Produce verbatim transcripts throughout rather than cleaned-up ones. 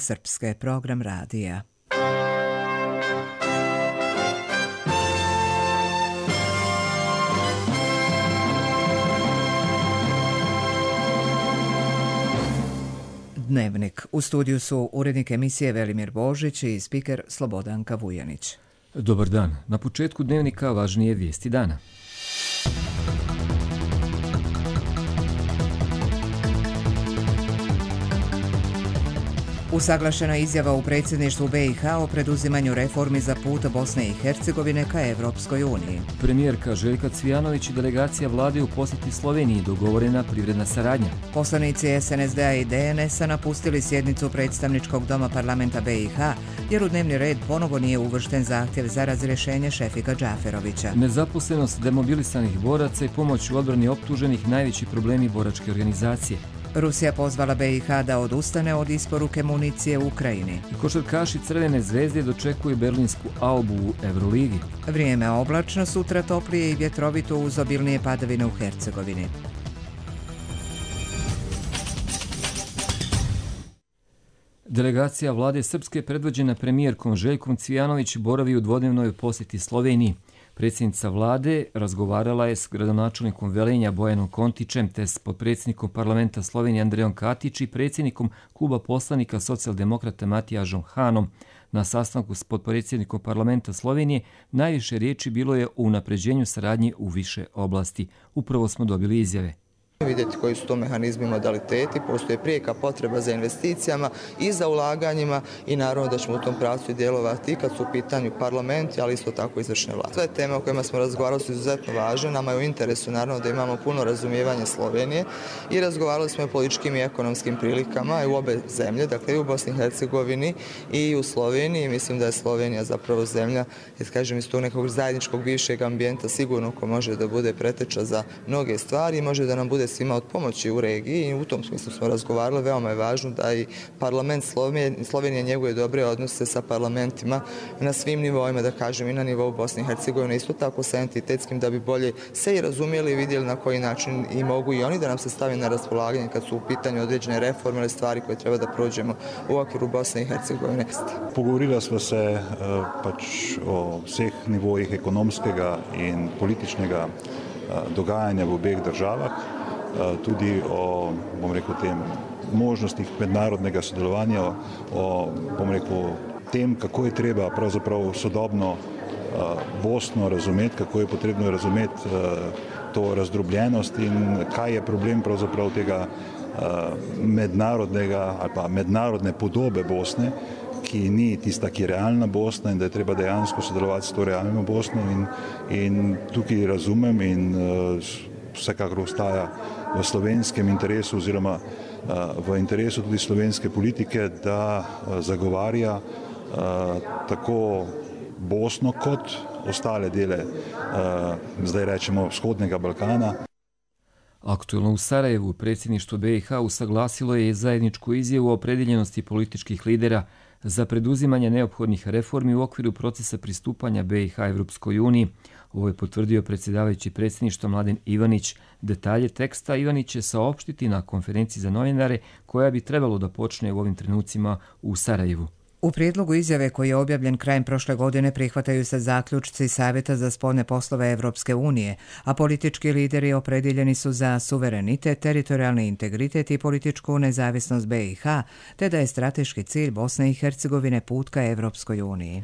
Srpske, program radija. Dnevnik. U studiju su urednik emisije Velimir Božić i spiker Slobodanka Vujanić. Dobar dan. Na početku dnevnika važnije vijesti dana. Usaglašena izjava u predsjedništvu be i ha o preduzimanju reformi za put Bosne i Hercegovine ka Evropskoj uniji. Premijerka Željka Cvijanović i delegacija vlade u posjeti Sloveniji, dogovorena privredna saradnja. Poslanici es en es de a i de en es a napustili sjednicu predstavničkog doma parlamenta be i ha jer u dnevni red ponovo nije uvršten zahtjev za razrješenje Šefika Džaferovića. Nezaposlenost demobilisanih boraca i pomoć u odbrani optuženih najveći problemi boračke organizacije. Rusija pozvala be i ha da odustane od isporuke municije u Ukrajini. Košarkaši Crvene zvezde dočekuju berlinsku Albu u Euroligi. Vrijeme oblačno, sutra toplije i vjetrovito uz obilnije padavine u Hercegovini. Delegacija vlade Srpske predvođena premijerkom Željkom Cvijanović boravi u dvodnevnoj posjeti Sloveniji. Predsjednica vlade razgovarala je s gradonačelnikom Velenja Bojanom Kontićem te s potpredsjednikom parlamenta Slovenije Andrejom Katić i predsjednikom kluba poslanika socijaldemokrata Matijažom Hanom. Na sastanku s potpredsjednikom parlamenta Slovenije najviše riječi bilo je o unapređenju saradnje u više oblasti. Upravo smo dobili izjave. Vidjeti koji su to mehanizmi i modaliteti, postoje prijeka potreba za investicijama i za ulaganjima i naravno da ćemo u tom pravcu djelovati i kad su u pitanju parlamenti, ali isto tako izvršne vlasti. Sve teme o kojima smo razgovarali su izuzetno važne, nama je u interesu naravno da imamo puno razumijevanja Slovenije i razgovarali smo o političkim i ekonomskim prilikama i u obe zemlje, dakle i u Bosni i Hercegovini i u Sloveniji. Mislim da je Slovenija zapravo zemlja, jer kažem iz tog nekog zajedničkog bivšeg ambijenta sigurno ko može da bude preteča za mnoge stvari i može da nam bude svima od pomoći u regiji i u tom smislu smo razgovarali. Veoma je važno da i parlament Slovenije, Slovenije njeguje dobre odnose sa parlamentima na svim nivoima, da kažem i na nivou Bosne i Hercegovine, isto tako sa entitetskim, da bi bolje se i razumjeli i vidjeli na koji način i mogu i oni da nam se stavi na raspolaganje kad su u pitanju određene reforme ili stvari koje treba da prođemo u okviru Bosne i Hercegovine. Pogovorila smo se pač o vseh nivojih ekonomskega in političnega dogajanja v obeh državah, tudi o, bom rekel, tem možnostih mednarodnega sodelovanja, o, bom rekel, tem, kako je treba pravzaprav sodobno Bosno razumeti, kako je potrebno razumeti to razdrobljenost in kaj je problem pravzaprav tega mednarodnega ali pa mednarodne podobe Bosne, ki ni tista, ki je realna Bosna in da je treba dejansko sodelovati s to realno Bosno in, in tukaj razumem in vsekakor ostaja v slovenskem interesu oziroma v interesu tudi slovenske politike, da zagovarja tako Bosno kot ostale dele, zdaj rečemo, vzhodnega Balkana. Aktualno u Sarajevu predsjedništvo be i ha usaglasilo je zajedničku izjavu o opredjeljenosti političkih lidera za preduzimanje neophodnih reformi u okviru procesa pristupanja be i ha Evropskoj uniji. Ovo je potvrdio predsjedavajući predsjedništva Mladen Ivanić. Detalje teksta Ivanić će saopštiti na konferenciji za novinare koja bi trebalo da počne u ovim trenucima u Sarajevu. U prijedlogu izjave koji je objavljen krajem prošle godine prihvataju se zaključci Savjeta za spoljne poslove Evropske unije, a politički lideri opredjeljeni su za suverenitet, teritorijalni integritet i političku nezavisnost be i ha, te da je strateški cilj Bosne i Hercegovine put ka Evropskoj uniji.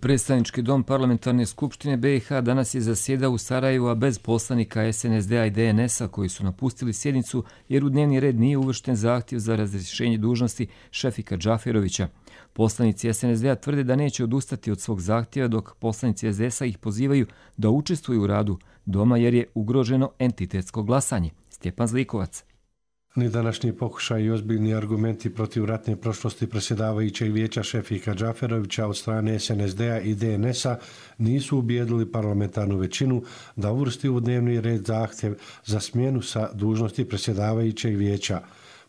Predstavnički dom parlamentarne skupštine be i ha danas je zasjedao u Sarajevu, a bez poslanika es en es de a i de en es a koji su napustili sjednicu jer u dnevni red nije uvršten zahtjev za razrješenje dužnosti Šefika Džaferovića. Poslanici es en es de a tvrde da neće odustati od svog zahtjeva, dok poslanici es de es a ih pozivaju da učestvuju u radu doma jer je ugroženo entitetsko glasanje. Stjepan Zlikovac. Ni današnji pokušaj i ozbiljni argumenti protiv ratne prošlosti predsjedavajućeg vijeća Šefika Džaferovića od strane es en es de a i de en es a nisu ubijedili parlamentarnu većinu da uvrsti u dnevni red zahtjev za smjenu sa dužnosti predsjedavajućeg vijeća.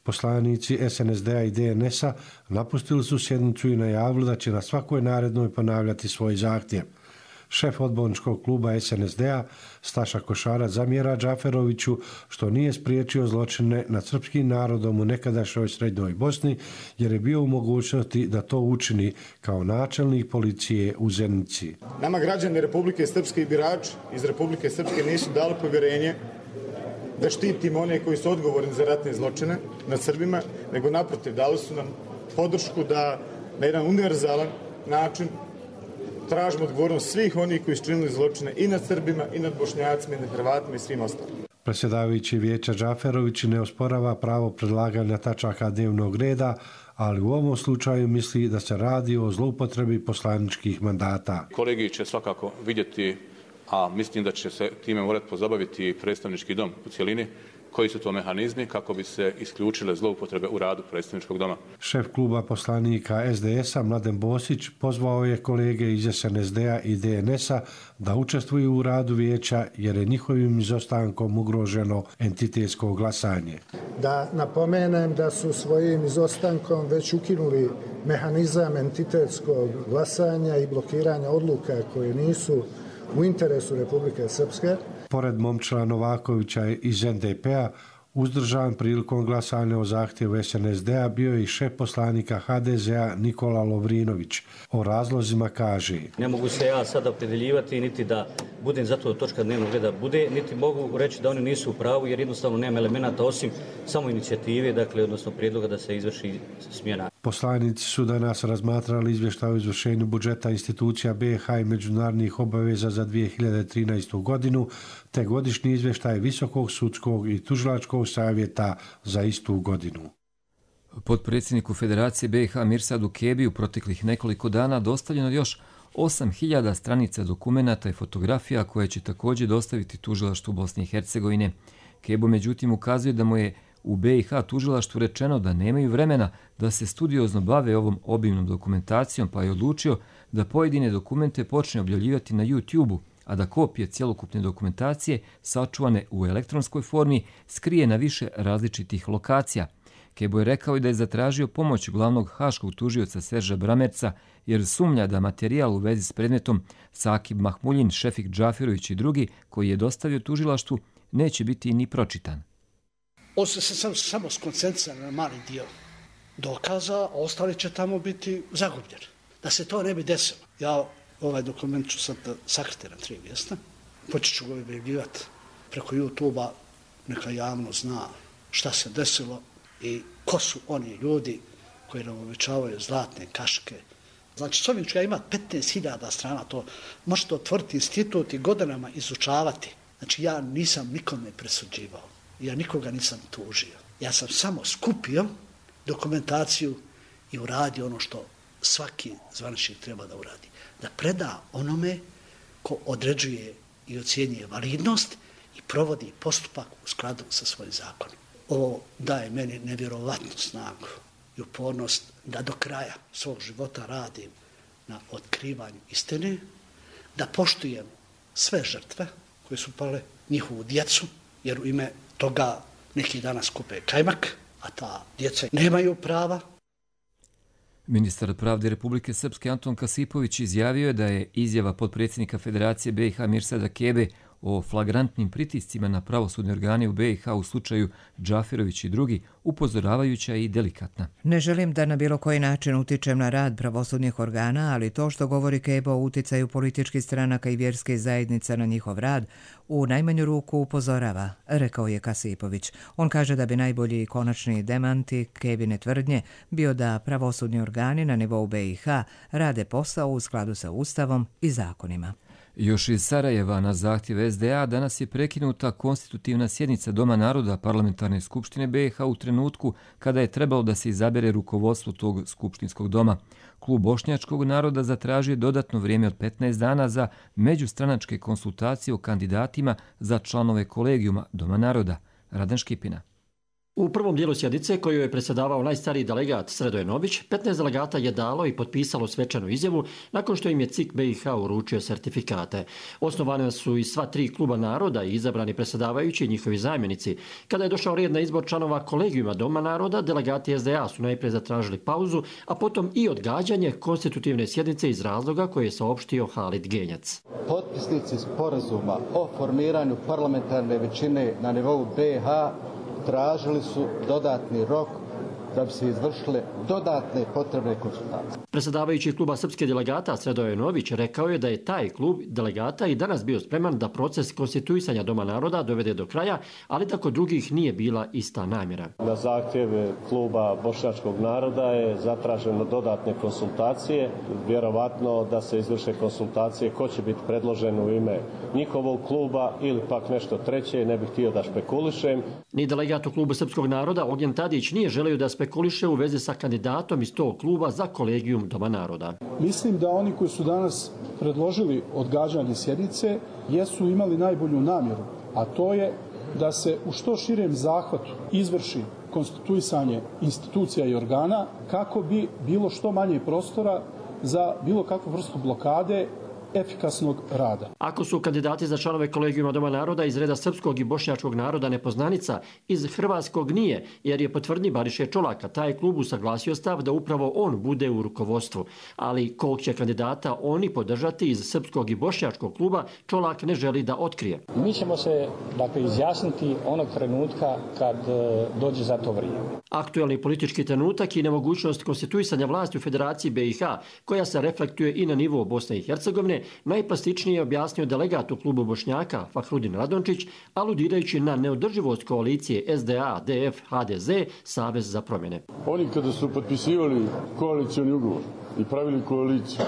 Poslanici es en es de a i de en es a napustili su sjednicu i najavili da će na svakoj narednoj ponavljati svoj zahtjev. Šef odborničkog kluba es en es de a Staša Košara zamjera Džaferoviću što nije spriječio zločine nad srpskim narodom u nekadašnjoj Srednjoj Bosni jer je bio u mogućnosti da to učini kao načelnik policije u Zenici. Nama građani Republike Srpske i birači iz Republike Srpske nisu dali povjerenje da štitimo one koji su odgovorni za ratne zločine nad Srbima, nego naprotiv dali su nam podršku da na jedan univerzalan način tražimo odgovornost svih onih koji su činili zločine i nad Srbima, i nad Bošnjacima, i nad Hrvatima i svim ostalim. Predsjedavajući vijeća Džaferović ne osporava pravo predlaganja tačaka dnevnog reda, ali u ovom slučaju misli da se radi o zloupotrebi poslaničkih mandata. Kolegi će svakako vidjeti, a mislim da će se time morati pozabaviti predstavnički dom u cjelini, koji su to mehanizmi kako bi se isključile zloupotrebe u radu predstavničkog doma. Šef kluba poslanika es de es a Mladen Bosić pozvao je kolege iz es en es de a i de en es a da učestvuju u radu vijeća jer je njihovim izostankom ugroženo entitetsko glasanje. Da napomenem da su svojim izostankom već ukinuli mehanizam entitetskog glasanja i blokiranja odluka koje nisu u interesu Republike Srpske. Pored Momčila Novakovića iz en de pe a, uzdržan prilikom glasanja o zahtjevu es en es de a bio je i šef poslanika ha de ze a Nikola Lovrinović. O razlozima kaže: Ne mogu se ja sada opredeljivati niti da budem zato da točka dnevnog reda bude, niti mogu reći da oni nisu u pravu jer jednostavno nema elemenata osim samo inicijative, dakle odnosno prijedloga da se izvrši smjena. Poslanici su danas razmatrali izvještaj o izvršenju budžeta institucija be i ha i međunarodnih obaveza za dvije hiljade trinaestu godinu, te godišnji izvještaj Visokog sudskog i tužilačkog savjeta za istu godinu. Potpredsjedniku Federacije be i ha Mirsadu Kebi u proteklih nekoliko dana dostavljeno još osam hiljada stranica dokumenata i fotografija koje će također dostaviti tužilaštvu Bosne i Hercegovine. Kebo međutim ukazuje da mu je u be i ha tužilaštvu rečeno da nemaju vremena da se studiozno bave ovom obimnom dokumentacijom, pa je odlučio da pojedine dokumente počne objavljivati na YouTube-u, a da kopije cjelokupne dokumentacije sačuvane u elektronskoj formi skrije na više različitih lokacija. Kebo je rekao i da je zatražio pomoć glavnog haškog tužioca Serža Bramerca jer sumnja da materijal u vezi s predmetom Sakib Mahmuljin, Šefik Džaferović i drugi koji je dostavio tužilaštvu neće biti ni pročitan. On se sam, samo skoncentrira na mali dio dokaza, a ostali će tamo biti zagubljeni. Da se to ne bi desilo. Ja ovaj dokument ću sad sakriti na tri mjesta. Počet ću ga objavljivati preko YouTube-a, neka javno zna šta se desilo i ko su oni ljudi koji nam obećavaju zlatne kaške. Znači, s ovim ću ja imati petnaest hiljada strana, to možete otvoriti institut i godinama izučavati. Znači, ja nisam nikome presuđivao. Ja nikoga nisam tužio. Ja sam samo skupio dokumentaciju i uradio ono što svaki zvaničnik treba da uradi. Da preda onome ko određuje i ocjenjuje validnost i provodi postupak u skladu sa svojim zakonom. Ovo daje meni nevjerovatnu snagu i upornost da do kraja svog života radim na otkrivanju istine, da poštujem sve žrtve koje su pale, njihovu djecu, jer u ime toga neki danas kupe kajmak, a ta djeca nemaju prava. Ministar pravde Republike Srpske Anton Kasipović izjavio je da je izjava potpredsjednika Federacije be i ha Mirsada Kebe o flagrantnim pritiscima na pravosudne organe u be i ha u slučaju Džaferović i drugi upozoravajuća i delikatna. Ne želim da na bilo koji način utičem na rad pravosudnih organa, ali to što govori Kebo o uticaju političkih stranaka i vjerske zajednice na njihov rad u najmanju ruku upozorava, rekao je Kasipović. On kaže da bi najbolji konačni demanti Kebine tvrdnje bio da pravosudni organi na nivou be i ha rade posao u skladu sa Ustavom i zakonima. Još iz Sarajeva na zahtjev es de a danas je prekinuta konstitutivna sjednica Doma naroda Parlamentarne skupštine be i ha u trenutku kada je trebalo da se izabere rukovodstvo tog skupštinskog doma. Klub Bošnjačkog naroda zatražio dodatno vrijeme od petnaest dana za međustranačke konsultacije o kandidatima za članove kolegijuma Doma naroda. Radan Škipina. U prvom dijelu sjednice koju je predsjedavao najstariji delegat Sredoje Nović, petnaest delegata je dalo i potpisalo svečanu izjavu nakon što im je C I K B i H uručio sertifikate. Osnovane su i sva tri kluba naroda i izabrani predsjedavajući i njihovi zamjenici. Kada je došao red na izbor članova kolegijuma Doma naroda, delegati S D A su najprije zatražili pauzu, a potom i odgađanje konstitutivne sjednice iz razloga koje je saopštio Halid Genjac. Potpisnici sporazuma o formiranju parlamentarne većine na nivou B H tražili su dodatni rok da bi se izvršile dodatne potrebne konsultacije. Predsjedavajući kluba srpske delegata Sredoje Nović rekao je da je taj klub delegata i danas bio spreman da proces konstituisanja Doma naroda dovede do kraja, ali da kod drugih nije bila ista namjera. Na zahtjev kluba bošnjačkog naroda je zatraženo dodatne konsultacije, vjerovatno da se izvrše konsultacije ko će biti predložen u ime njihovog kluba ili pak nešto treće, ne bih htio da špekulišem. Ni delegat u klubu srpskog naroda Ognjen Tadić nije želio da spekuliše u vezi sa kandidatom iz tog kluba za kolegijum Doma naroda. Mislim da oni koji su danas predložili odgađanje sjednice jesu imali najbolju namjeru, a to je da se u što širem zahvatu izvrši konstituisanje institucija i organa kako bi bilo što manje prostora za bilo kakvu vrstu blokade efikasnog rada. Ako su kandidati za članove kolegijuma Doma naroda iz reda srpskog i bošnjačkog naroda nepoznanica, iz hrvatskog nije, jer je po tvrdnji Bariše Čolaka taj klub usaglasio stav da upravo on bude u rukovodstvu. Ali kog će kandidata oni podržati iz srpskog i bošnjačkog kluba, Čolak ne želi da otkrije. Mi ćemo se dakle izjasniti onog trenutka kad e, dođe za to vrijeme. Aktuelni politički trenutak i nemogućnost konstituisanja vlasti u Federaciji B i H, koja se reflektuje i na nivou Bosne i Hercegovine, najplastičnije je objasnio delegat u klubu Bošnjaka Fahrudin Radončić, aludirajući na neodrživost koalicije S D A, D F, H D Z, Savez za promjene. Oni kada su potpisivali koalicioni ugovor i pravili koaliciju,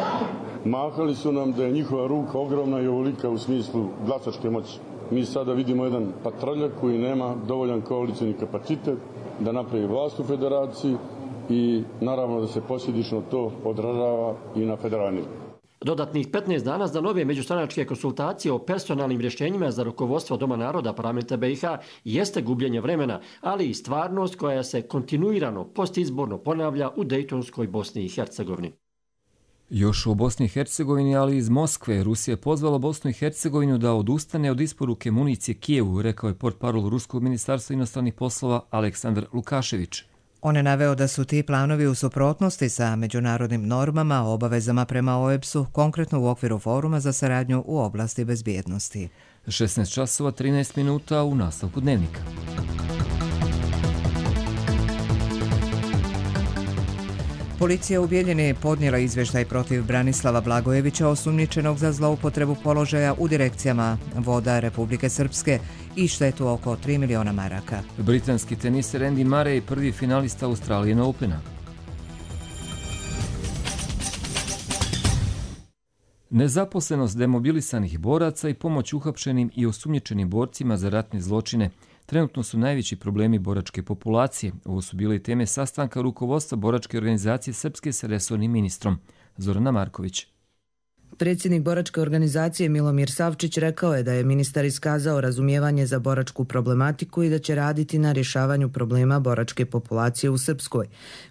mahali su nam da je njihova ruka ogromna i ovolika u smislu glasačke moći. Mi sada vidimo jedan patraljak koji nema dovoljan koalicioni kapacitet da napravi vlast u federaciji i naravno da se posljedično to odražava i na federalni. Dodatnih petnaest dana za nove međustranačke konsultacije o personalnim rješenjima za rukovodstvo Doma naroda parlamenta B i H jeste gubljenje vremena, ali i stvarnost koja se kontinuirano postizborno ponavlja u Dejtonskoj Bosni i Hercegovini. Još u Bosni i Hercegovini, ali iz Moskve, Rusija je pozvala Bosnu i Hercegovinu da odustane od isporuke municije Kijevu, rekao je portparol Ruskog ministarstva inostranih poslova Aleksandar Lukašević. On je naveo da su ti planovi u suprotnosti sa međunarodnim normama, obavezama prema O E B S-u, konkretno u okviru foruma za saradnju u oblasti bezbjednosti. šesnaest časova trinaest minuta u nastavku dnevnika. Policija u Bijeljini podnijela izvještaj protiv Branislava Blagojevića, osumnjičenog za zloupotrebu položaja u direkcijama voda Republike Srpske i štetu oko tri miliona maraka. Britanski teniser Andy Murray, prvi finalista Australian Opena. Nezaposlenost demobilisanih boraca i pomoć uhapšenim i osumnjičenim borcima za ratne zločine trenutno su najveći problemi boračke populacije. Ovo su bile teme sastanka rukovodstva boračke organizacije Srpske sa resornim ministrom. Zorana Marković. Predsjednik boračke organizacije Milomir Savčić rekao je da je ministar iskazao razumijevanje za boračku problematiku i da će raditi na rješavanju problema boračke populacije u Srpskoj.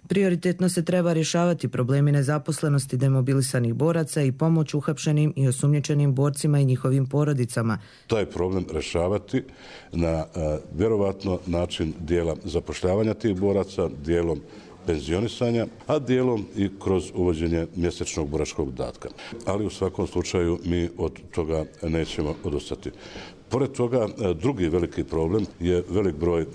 Prioritetno se treba rješavati problemi nezaposlenosti demobilisanih boraca i pomoć uhapšenim i osumnjičenim borcima i njihovim porodicama. Taj problem rješavati na a, vjerovatno način dijela zapošljavanja tih boraca, dijelom penzionisanja, a dijelom i kroz uvođenje mjesečnog boračkog dodatka. Ali u svakom slučaju mi od toga nećemo odustati. Pored toga, drugi veliki problem je velik broj e,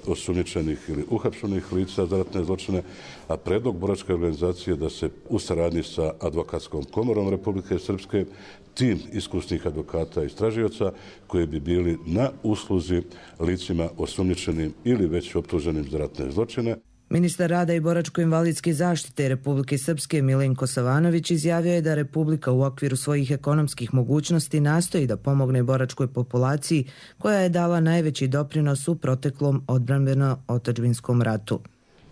osumnjičenih ili uhapšenih lica za ratne zločine, a predlog boračke organizacije da se u saradnji sa Advokatskom komorom Republike Srpske tim iskusnih advokata i istražioca koji bi bili na usluzi licima osumnjičenim ili već optuženim za ratne zločine. Ministar rada i boračko-invalidske zaštite Republike Srpske Milenko Savanović izjavio je da Republika u okviru svojih ekonomskih mogućnosti nastoji da pomogne boračkoj populaciji koja je dala najveći doprinos u proteklom odbrambeno-otadžbinskom ratu.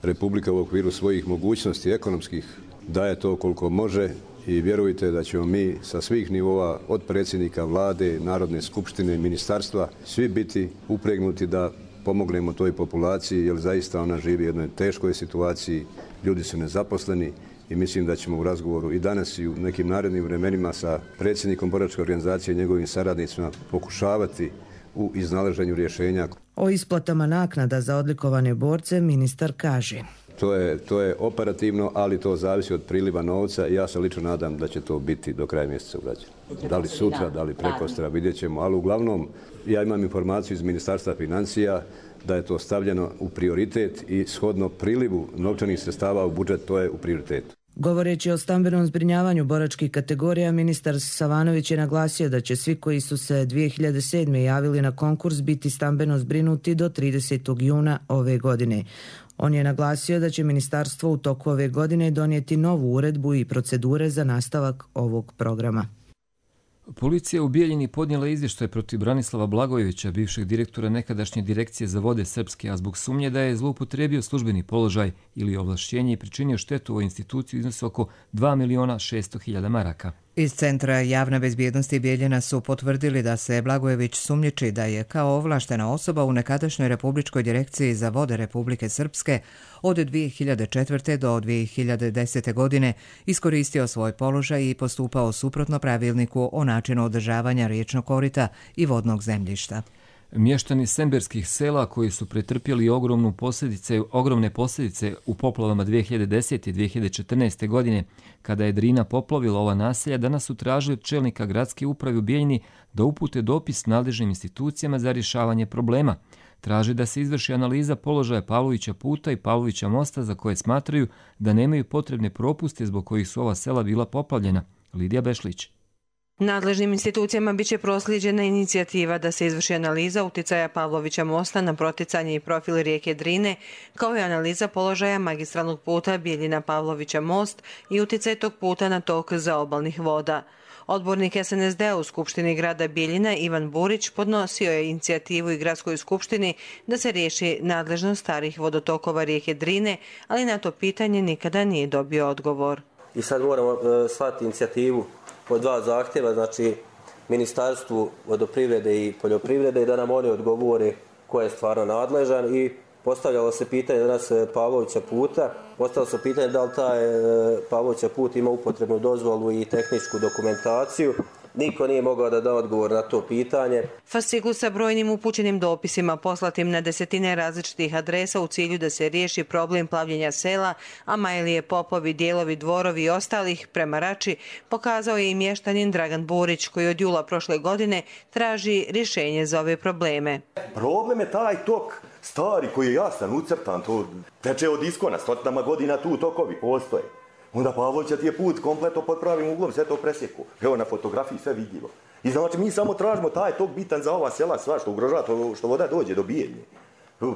Republika u okviru svojih mogućnosti ekonomskih daje to koliko može i vjerujte da ćemo mi sa svih nivoa, od predsjednika vlade, Narodne skupštine, ministarstva, svi biti upregnuti da pomognemo toj populaciji, jer zaista ona živi u jednoj teškoj situaciji, ljudi su nezaposleni i mislim da ćemo u razgovoru i danas i u nekim narednim vremenima sa predsjednikom boračke organizacije i njegovim saradnicima pokušavati u iznalaženju rješenja. O isplatama naknada za odlikovane borce ministar kaže: To je, to je operativno, ali to zavisi od priliva novca i ja se lično nadam da će to biti do kraja mjeseca urađeno. Da li sutra, da li prekostra, vidjet ćemo, ali uglavnom ja imam informaciju iz Ministarstva financija da je to stavljeno u prioritet i shodno prilivu novčanih sredstava u budžet, to je u prioritetu. Govoreći o stambenom zbrinjavanju boračkih kategorija, ministar Savanović je naglasio da će svi koji su se dvije hiljade sedme. javili na konkurs biti stambeno zbrinuti do tridesetog juna ove godine. On je naglasio da će ministarstvo u toku ove godine donijeti novu uredbu i procedure za nastavak ovog programa. Policija u Bijeljini podnijela izvještaj protiv Branislava Blagojevića, bivšeg direktora nekadašnje direkcije za vode Srpske, a zbog sumnje da je zloupotrijebio službeni položaj ili ovlašćenje i pričinio štetu ovoj instituciji iznosi oko dva miliona šesto hiljada maraka. Iz Centra javne bezbjednosti Bijeljina su potvrdili da se Blagojević sumnjiči da je kao ovlaštena osoba u nekadašnjoj Republičkoj direkciji za vode Republike Srpske od dvije hiljade četvrte. do dvije hiljade desete. godine iskoristio svoj položaj i postupao suprotno pravilniku o načinu održavanja riječnog korita i vodnog zemljišta. Mještani semberskih sela koji su pretrpjeli ogromnu posljedice, ogromne posljedice u poplavama dvije hiljade desete. i dvije hiljade četrnaeste. godine, kada je Drina poplavila ova naselja, danas su tražili od čelnika gradske uprave u Bijeljini da upute dopis nadležnim institucijama za rješavanje problema. Traže da se izvrši analiza položaja Pavlovića puta i Pavlovića mosta za koje smatraju da nemaju potrebne propuste zbog kojih su ova sela bila poplavljena. Lidija Bešlić. Nadležnim institucijama biće proslijeđena inicijativa da se izvrši analiza uticaja Pavlovića mosta na proticanje i profil rijeke Drine, kao i analiza položaja magistralnog puta Bijeljina Pavlovića most i uticaj tog puta na tok zaobalnih voda. Odbornik S N S D-a u Skupštini grada Bijeljina Ivan Burić podnosio je inicijativu i gradskoj skupštini da se riješi nadležnost starih vodotokova rijeke Drine, ali na to pitanje nikada nije dobio odgovor. I sad moramo uh, slati inicijativu po dva zahtjeva, znači Ministarstvu vodoprivrede i poljoprivrede, i da nam oni odgovore ko je stvarno nadležan. I postavljalo se pitanje danas Pavlovića puta, postavljalo se pitanje da li taj Pavlovića put ima upotrebnu dozvolu i tehničku dokumentaciju. Niko nije mogao da da odgovor na to pitanje. Fascikl sa brojnim upućenim dopisima poslatim na desetine različitih adresa u cilju da se riješi problem plavljenja sela, a Majlije, Popovi, Dijelovi, Dvorovi i ostalih prema Rači pokazao je i mještanin Dragan Burić, koji od jula prošle godine traži rješenje za ove probleme. Problem je taj tok stari koji je jasan, ucrtan, to teče od iskona, stotinama godina tu tokovi postoje. Onda Pavlovića ti je put kompletno pod pravim uglom, sve to presjeku. Evo na fotografiji sve vidljivo. I znači mi samo tražimo taj tok bitan za ova sela, sva što ugrožava, to, što voda dođe do Bijeljine.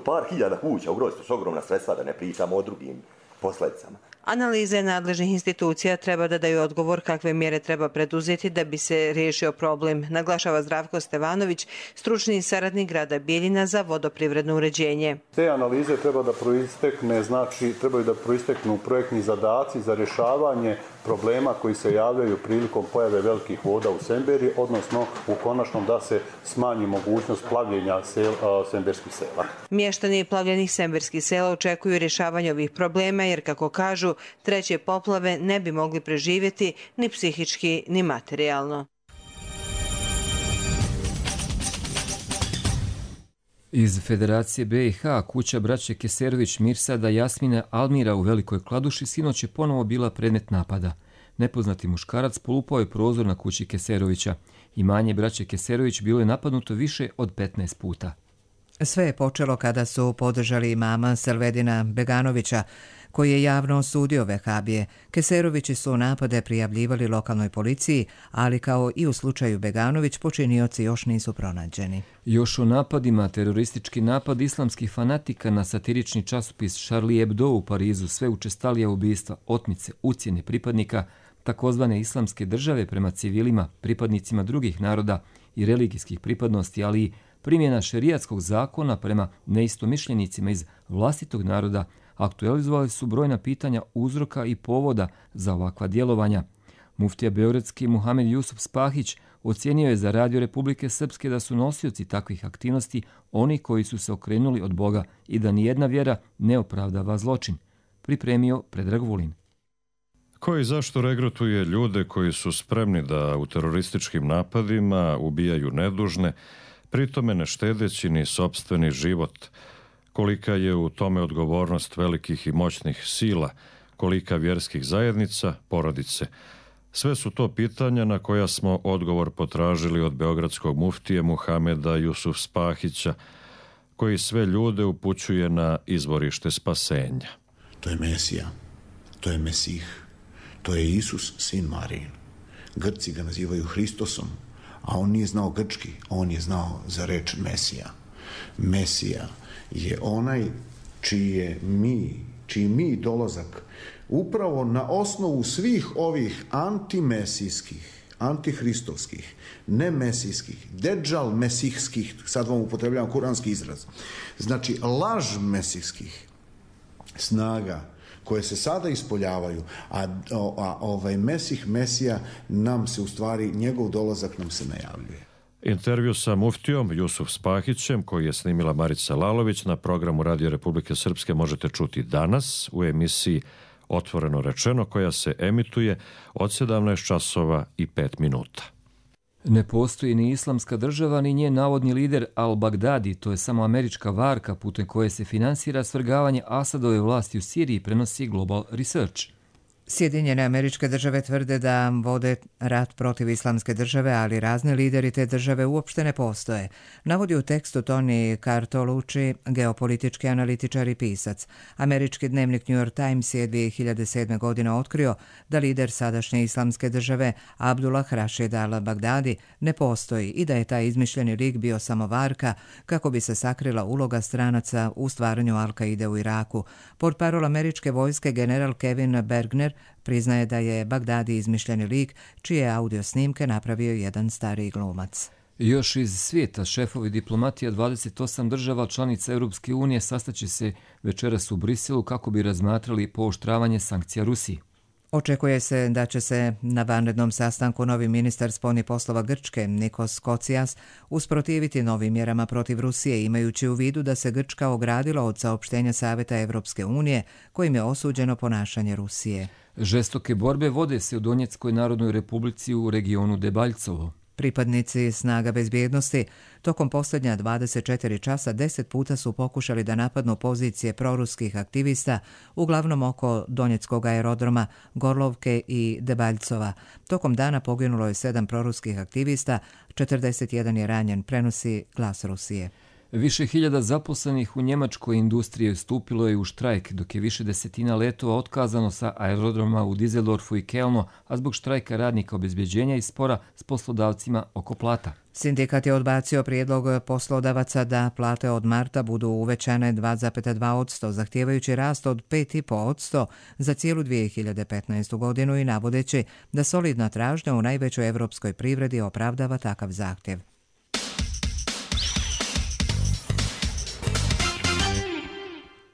Par hiljada kuća ugroziti, s ogromna sredstva, da ne pričamo o drugim posljedicama. Analize nadležnih institucija treba da daju odgovor kakve mjere treba preduzeti da bi se riješio problem, naglašava Zdravko Stevanović, stručni saradnik grada Bijeljina za vodoprivredno uređenje. Te analize treba da proistekne, znači trebaju da proisteknu projektni zadaci za rješavanje problema koji se javljaju prilikom pojave velikih voda u Semberi, odnosno u konačnom da se smanji mogućnost plavljenja sel, semberskih sela. Mještani plavljenih semberskih sela očekuju rješavanje ovih problema jer, kako kažu, treće poplave ne bi mogli preživjeti ni psihički ni materijalno. Iz Federacije B i H kuća braće Keserović Mirsada, Jasmina, Almira u Velikoj Kladuši sinoć je ponovo bila predmet napada. Nepoznati muškarac polupao je prozor na kući Keserovića. Imanje braće Keserović bilo je napadnuto više od petnaest puta. Sve je počelo kada su podržali imama Selvedina Beganovića, koji je javno osudio vehabije. Keserovići su napade prijavljivali lokalnoj policiji, ali kao i u slučaju Beganović, počinioci još nisu pronađeni. Još o napadima, teroristički napad islamskih fanatika na satirični časopis Charlie Hebdo u Parizu, sve učestalija ubistva, otmice, ucjene pripadnika takozvane islamske države prema civilima, pripadnicima drugih naroda i religijskih pripadnosti, ali i primjena šerijatskog zakona prema neistomišljenicima iz vlastitog naroda aktualizovali su brojna pitanja uzroka i povoda za ovakva djelovanja. Muftija beogradski Muhamed Jusuf Spahić ocijenio je za Radio Republike Srpske da su nosioci takvih aktivnosti oni koji su se okrenuli od Boga i da nijedna vjera ne opravdava zločin. Pripremio Predrag Vulin. Koji zašto regrutuje ljude koji su spremni da u terorističkim napadima ubijaju nedužne, pritome ne štedeći ni sopstveni život. Kolika je u tome odgovornost velikih i moćnih sila, kolika vjerskih zajednica, porodice. Sve su to pitanja na koja smo odgovor potražili od beogradskog muftije Muhameda Jusuf Spahića, koji sve ljude upućuje na izvorište spasenja. To je Mesija, to je Mesih, to je Isus, sin Marijin. Grci ga nazivaju Hristosom, a on nije znao grčki, on je znao za reč Mesija. Mesija je onaj čiji je mi, čiji mi dolazak upravo na osnovu svih ovih antimesijskih, antihristovskih, nemesijskih, deđal mesihskih, sad vam upotrebljavam kuranski izraz, znači laž mesihskih snaga koje se sada ispoljavaju, a, a ovaj Mesih, Mesija nam se u stvari, njegov dolazak nam se najavljuje. Intervju sa muftijom Jusuf Spahićem, koji je snimila Marica Lalović, na programu Radio Republike Srpske možete čuti danas u emisiji Otvoreno rečeno, koja se emituje od sedamnaest časova i pet minuta. Ne postoji ni islamska država, ni njen navodni lider Al-Baghdadi, to je samo američka varka putem koje se finansira svrgavanje Asadove vlasti u Siriji, prenosi Global Research. Sjedinjene Američke Države tvrde da vode rat protiv islamske države, ali razni lideri te države uopšte ne postoje. Navodi u tekstu Tony Cartolucci, geopolitički analitičar i pisac. Američki dnevnik New York Times je dvije hiljade sedme. godine otkrio da lider sadašnje islamske države Abdullah Rashid al-Baghdadi ne postoji i da je taj izmišljeni lik bio samo varka kako bi se sakrila uloga stranaca u stvaranju Al-Kaide u Iraku. Portparol američke vojske general Kevin Bergner priznaje da je Bagdadi izmišljeni lik čije audio snimke napravio jedan stariji glumac. Još iz svijeta šefovi diplomatija dvadeset osam država članica Europske unije sastaće se večeras u Briselu kako bi razmatrali pooštravanje sankcija Rusiji. Očekuje se da će se na vanrednom sastanku novi ministar spoljnih poslova Grčke, Nikos Kocias, usprotiviti novim mjerama protiv Rusije, imajući u vidu da se Grčka ogradila od saopštenja Saveta Evropske unije kojim je osuđeno ponašanje Rusije. Žestoke borbe vode se u Donjeckoj narodnoj republici u regionu Debaljcovo. Pripadnici snaga bezbjednosti tokom posljednja dvadeset četiri časa deset puta su pokušali da napadnu pozicije proruskih aktivista, uglavnom oko Donjeckog aerodroma, Gorlovke i Debaljcova. Tokom dana poginulo je sedam proruskih aktivista, četrdeset jedan je ranjen, prenosi Glas Rusije. Više hiljada zaposlenih u njemačkoj industriji stupilo je u štrajk, dok je više desetina letova otkazano sa aerodroma u Düsseldorfu i Kelnu, a zbog štrajka radnika obezbeđenja i spora s poslodavcima oko plata. Sindikat je odbacio prijedlog poslodavaca da plate od marta budu uvećane dva zarez dva posto, zahtijevajući rast od pet zarez pet posto za cijelu dvije hiljade petnaestu. godinu i navodeći da solidna tražnja u najvećoj evropskoj privredi opravdava takav zahtjev.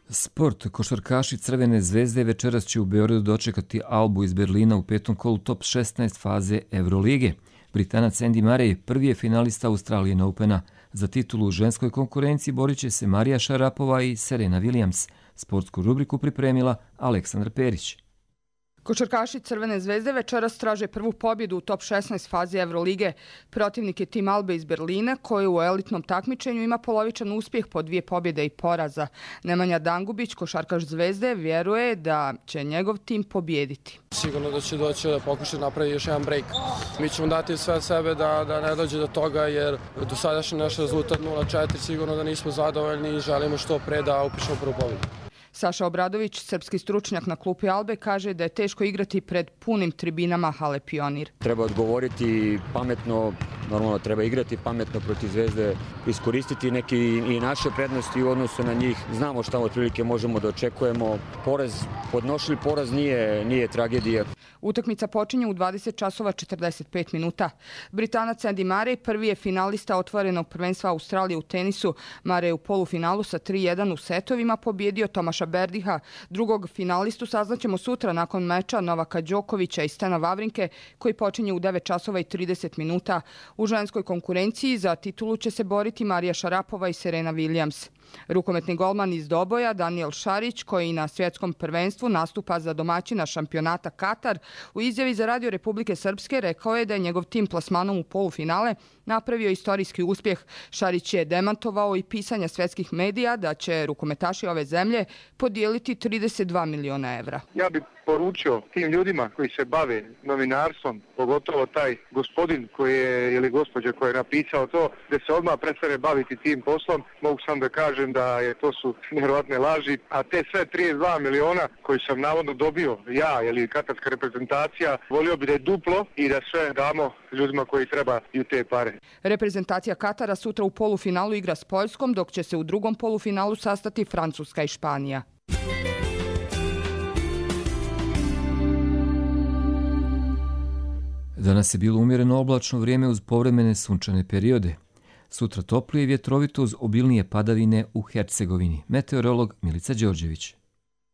Sport. Košarkaši Crvene zvezde večeras će u Beogradu dočekati Albu iz Berlina u petom kolu top šesnaest faze Evrolige. Britanac Andy Murray prvi je finalista Australian Opena. Za titulu u ženskoj konkurenciji borit će se Marija Šarapova i Serena Williams. Sportsku rubriku pripremila Aleksandar Perić. Košarkaši Crvene zvezde večeras traže prvu pobjedu u top šesnaest fazi Evrolige. Protivnik je tim Albe iz Berlina, koji u elitnom takmičenju ima polovičan uspjeh po dvije pobjede i poraza. Nemanja Dangubić, košarkaš Zvezde, vjeruje da će njegov tim pobjediti. Sigurno da će doći da pokuša napravi još jedan break. Mi ćemo dati sve od sebe da, da ne dođe do toga, jer do sadašnji naš rezultat nula četiri sigurno da nismo zadovoljni i želimo što pre da upišemo prvu pobjedu. Saša Obradović, srpski stručnjak na klupi Albe, kaže da je teško igrati pred punim tribinama hale Pionir. Treba odgovoriti pametno, Normalno treba igrati pametno protiv Zvezde, iskoristiti neki i naše prednosti u odnosu na njih. Znamo šta otprilike možemo da očekujemo. Poraz, podnošljiv poraz nije, nije tragedija. Utakmica počinje u dvadeset časova četrdeset pet minuta. Britanac Andy Murray prvi je finalista otvorenog prvenstva Australije u tenisu. Murray je u polufinalu sa tri jedan u setovima pobjedio Tomaša Berdiha. Drugog finalistu saznaćemo sutra nakon meča Novaka Đokovića i Stena Wawrinke koji počinje u devet časova i trideset minuta. U ženskoj konkurenciji za titulu će se boriti Marija Šarapova i Serena Williams. Rukometni golman iz Doboja Daniel Šarić, koji na svjetskom prvenstvu nastupa za domaćina šampionata Katar, u izjavi za Radio Republike Srpske rekao je da je njegov tim plasmanom u polufinale napravio istorijski uspjeh. Šarić je demantovao i pisanja svjetskih medija da će rukometaši ove zemlje podijeliti trideset dva miliona evra. Ja bih poručio tim ljudima koji se bave novinarstvom, pogotovo taj gospodin koji je, ili gospođa koja je napisao to, da se odmah prestane baviti tim poslom. Mogu sam da kažem da je to su nevjerojatne laži, a te sve trideset dva miliona koji sam navodno dobio ja ili katarska reprezentacija, volio bi da je duplo i da sve damo ljudima koji trebaju te pare. Reprezentacija Katara sutra u polufinalu igra s Poljskom, dok će se u drugom polufinalu sastati Francuska i Španija. Danas je bilo umjereno oblačno vrijeme uz povremene sunčane periode. Sutra toplije i vjetrovito uz obilnije padavine u Hercegovini. Meteorolog Milica Đorđević.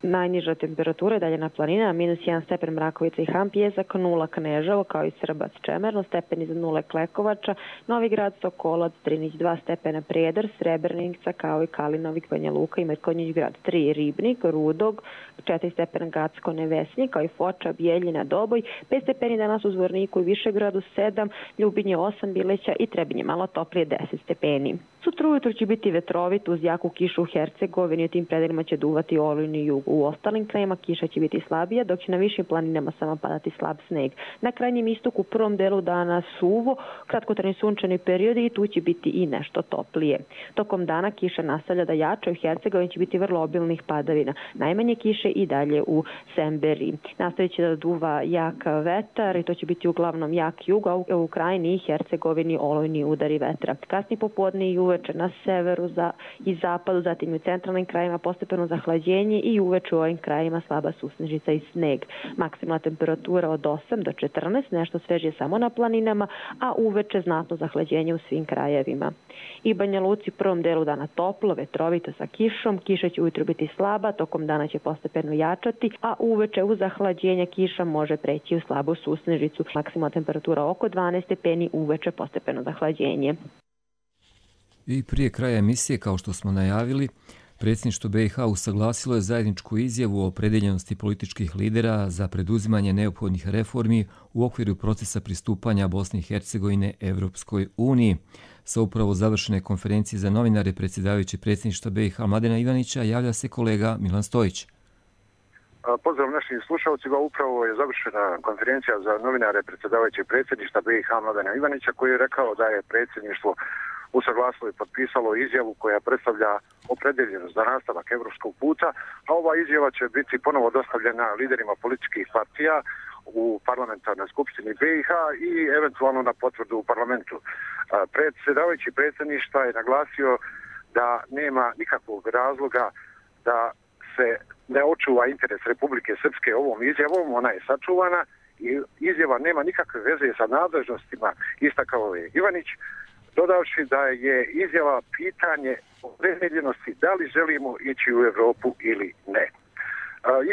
Najniža temperatura je dalje na planinama, minus jedan stepen Mrakovica i Hampijezak, nula Kneževo kao i Srbac Čemerno, stepen iza nule Klekovača, Novi Grad, Sokolac, Drinić dva stepena Prijedor, Srebrenica kao i Kalinovik, Banja Luka i Metkonjić Grad tri, Ribnik, Rudog, četiri stepena Gacko, Nevesnik kao i Foča, Bijeljina, Doboj, pet stepeni danas u Zvorniku i Višegradu, sedam, Ljubinje osam, Bileća i Trebinje malo toplije deset stepeni. Sutra ujutro će biti vetrovit uz jaku kišu u Hercegovini, u tim predelima će duvati olujni jug. U ostalim krajima kiša će biti slabija, dok će na višim planinama samo padati slab sneg. Na krajnjem istoku u prvom delu dana suvo, kratkotrajni sunčani periodi i tu će biti i nešto toplije. Tokom dana kiša nastavlja da jača, u Hercegovini će biti vrlo obilnih padavina. Najmanje kiše i dalje u Semberi. Nastavit će da duva jak vetar i to će biti uglavnom jak jug, a u krajini i Hercegovini olujni udari vetra. Kasni popodne i uveče na severu za, i zapadu, zatim i u centralnim krajima postepeno zahlađenje i uveče u ovim krajima slaba susnežica i sneg. Maksimalna temperatura od osam do četrnaest, nešto svežije samo na planinama, a uveče znatno zahlađenje u svim krajevima. I Banja Luci prvom delu dana toplo, vetrovito sa kišom, kiša će ujutro biti slaba, tokom dana će postepeno jačati, a uveče uz zahlađenje kiša može preći u slabu susnežicu. Maksimalna temperatura oko dvanaest stepeni, uveče postepeno zahlađenje. I prije kraja emisije, kao što smo najavili, Predsjedništvo B i H usaglasilo je zajedničku izjavu o opredeljenosti političkih lidera za preduzimanje neophodnih reformi u okviru procesa pristupanja Bosne i Hercegovine Evropskoj uniji. Sa upravo završene konferencije za novinare predsjedavajući Predsjedništva B i H Mladena Ivanića javlja se kolega Milan Stojić. Pozdrav našim slušalcima, upravo je završena konferencija za novinare predsjedavajući Predsjedništva B i H Mladena Ivanića koji je rekao da je predsjedništvo usaglasilo i potpisalo izjavu koja predstavlja opredeljenost za nastavak evropskog puta, a ova izjava će biti ponovo dostavljena liderima političkih partija u parlamentarnoj skupštini B i H i eventualno na potvrdu u parlamentu. Predsjedavajući predsjedništva je naglasio da nema nikakvog razloga da se ne očuva interes Republike Srpske ovom izjavom, ona je sačuvana i izjava nema nikakve veze sa nadležnostima, istakao je Ivanić, dodavši da je izjava pitanje opredeljenosti da li želimo ići u Evropu ili ne.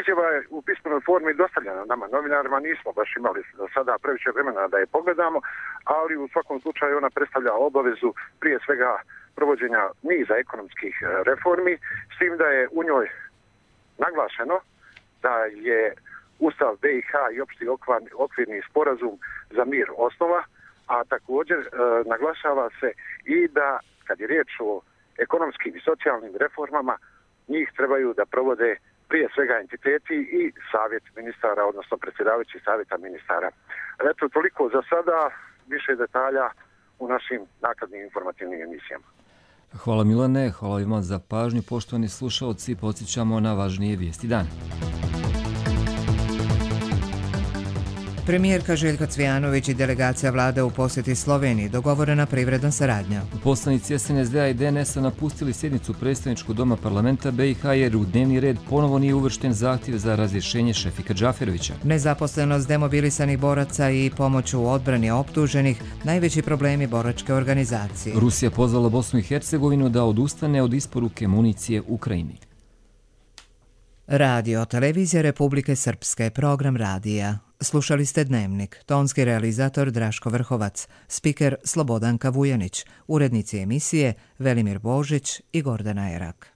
Izjava je u pismenoj formi dostavljena nama, novinarima, nismo baš imali do sada previše vremena da je pogledamo, ali u svakom slučaju ona predstavlja obavezu prije svega provođenja niza ekonomskih reformi, s tim da je u njoj naglašeno da je Ustav B i H i opšti okvirni sporazum za mir osnova, a također e, naglašava se i da kad je riječ o ekonomskim i socijalnim reformama, njih trebaju da provode prije svega entiteti i savjet ministara, odnosno predsjedavajući savjeta ministara. Eto, toliko za sada, više detalja u našim nakladnim informativnim emisijama. Hvala Milane, hvala vam za pažnju, poštovani slušalci, podsjećamo na važnije vijesti dana. Premijerka Željka Cvijanović i delegacija vlade u posjeti Sloveniji, dogovorena privredna saradnja. Poslanici S N S D-a i D N S-a napustili sjednicu predstavničkog doma parlamenta B i H jer u dnevni red ponovo nije uvršten zahtjev za razrješenje Šefika Džaferovića. Nezaposlenost demobilisanih boraca i pomoć u odbrani optuženih, najveći problemi boračke organizacije. Rusija pozvala Bosnu i Hercegovinu da odustane od isporuke municije Ukrajini. Radio Televizija Republike Srpske, program radija. Slušali ste Dnevnik, tonski realizator Draško Vrhovac, spiker Slobodanka Vujanić, urednici emisije Velimir Božić i Gordana Erak.